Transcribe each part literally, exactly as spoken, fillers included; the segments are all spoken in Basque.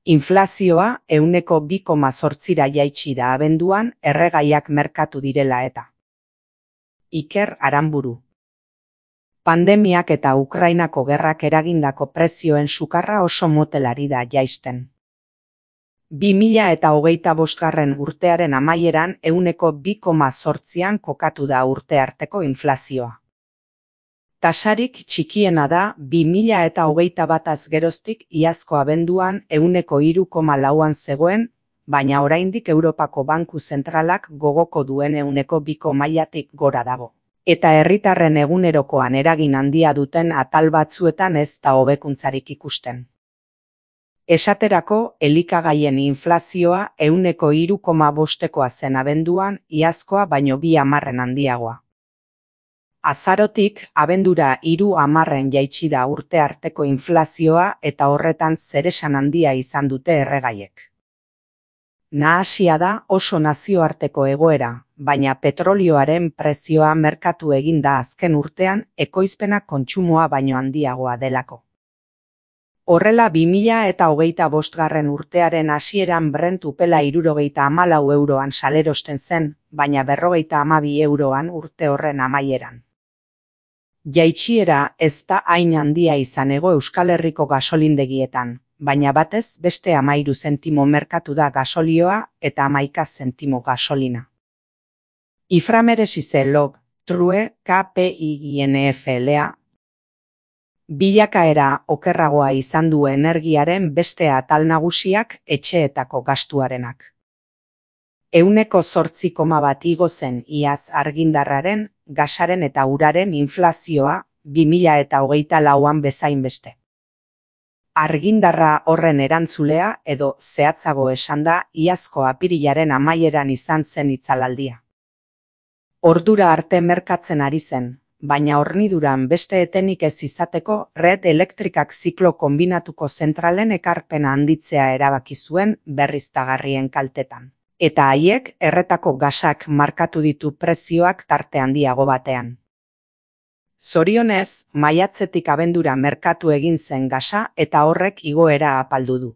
Inflazioa ehuneko bi koma zortzira jaitsi da abenduan erregaiak merkatu direla eta. Iker Aranburu. Pandemiak eta Ukrainako gerrak eragindako prezioen sukarra oso motelari da jaisten. bi mila eta hogeita bosgarren urtearen amaieran ehuneko bi koma zortzian kokatu da urte arteko inflazioa. Tasarik txikiena da bi mila eta hogeita bataz geroztik iazko abenduan ehuneko hiru koma lauan zegoen, baina oraindik Europako Banku Zentralak gogoko duen ehuneko biko mailatik gora dago. Eta herritarren egunerokoan eragin handia duten atal batzuetan ez da hobekuntzarik ikusten. Esaterako, elikagaien inflazioa ehuneko hiru koma bostekoa zen abenduan, iazkoa baino bi hamarren handiagoa. Azarotik, abendura hiru hamarren jaitsi da urte arteko inflazioa eta horretan zeresan handia izan dute erregaiek. Nahasia da oso nazioarteko egoera, baina petrolioaren prezioa merkatu egin da azken urtean ekoizpena kontsumoa baino handiagoa delako. Horrela bi mila eta hogeita bosgarren urtearen hasieran Brent upela hirurogeita hamalau euroan salerosten zen, baina berrogeita hamabi euroan urte horren amaieran. Jaitsiera ez da hain handia izan ego Euskal Herriko gasolindegietan, baina batez beste hamairu zentimo merkatu da gasolioa eta hamaika zentimo gasolina. Iframeresize log, true, K P I N F L A. Bilakaera okerragoa izan du energiaren beste atal nagusiak etxeetako gastuarenak. Ehuneko zortzi koma bat igo zen iaz argindarraren, gasaren eta uraren inflazioa bi mila eta hogeita lauan bezain beste. Argindarra horren erantzulea edo zehatzago esanda iazko apirilaren amaieran izan zen itzalaldia. Ordura arte merkatzen ari zen, baina horniduran beste etenik ez izateko Red Elektrikak ziklo konbinatuko zentralen ekarpena handitzea erabaki zuen berriztagarrien kaltetan. Eta haiek erretako gasak markatu ditu prezioak tarte handiago batean. Zorionez, maiatzetik abendura merkatu egin zen gasa eta horrek igoera apaldu du.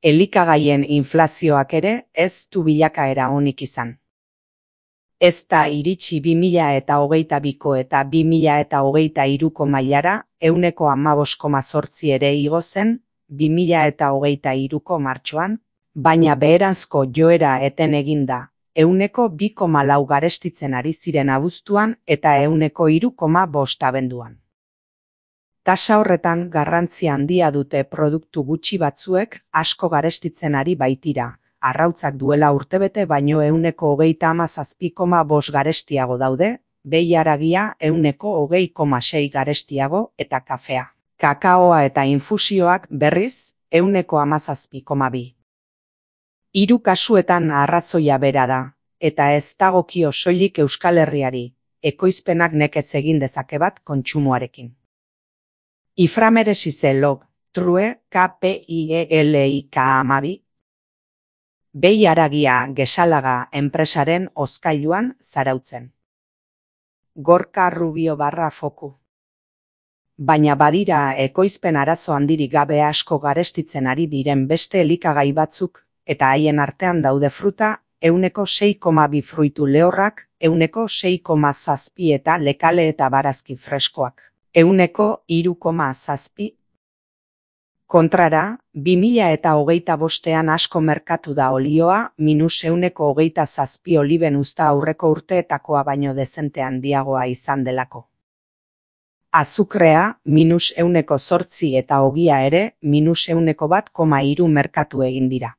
Elikagaien inflazioak ere ez du bilakaera onik izan. Ez da iritsi bi mila eta hogeita biko eta bi mila eta hogeita hiruko mailara ehuneko hamabost koma zortzi ere igo zen bi mila eta hogeita hiruko martxoan, baina beheranzko joera eten eginda, ehuneko bi koma lau garestitzen ari ziren abuztuan eta ehuneko hiru koma bost abenduan. Tasa horretan garrantzia handia dute produktu gutxi batzuek asko garestitzen ari baitira, arrautzak duela urtebete baino ehuneko hogeita hamazazpi koma bost garestiago daude, behi-haragia ehuneko hogei koma sei garestiago eta kafea. Kakaoa eta infusioak berriz ehuneko hamazazpi koma bi. Hiru kasuetan arrazoia bera da, eta ez dagokio soilik Euskal Herriari, ekoizpenak nekez egin dezake bat kontsumoarekin. Iframeresize log, true, K P I E L I K hamabi. Behi-haragia Gesalaga enpresaren hozkailuan zarautzen. Gorka Rubio barra foku. Baina badira ekoizpen arazo handirik gabe asko garestitzen ari diren beste elikagai batzuk, eta haien artean daude fruta, ehuneko sei koma bi fruitu lehorrak, ehuneko sei koma zazpi eta lekale eta barazki freskoak, ehuneko hiru koma zazpi. Kontrara, bi mila eta hogeita bostean asko merkatu da olioa, minus ehuneko hogeita zazpi oliben uzta aurreko urteetakoa baino dezente handiagoa izan delako. Azukrea, minus ehuneko zortzi eta ogia ere, minus ehuneko bat koma hiru merkatu egin dira.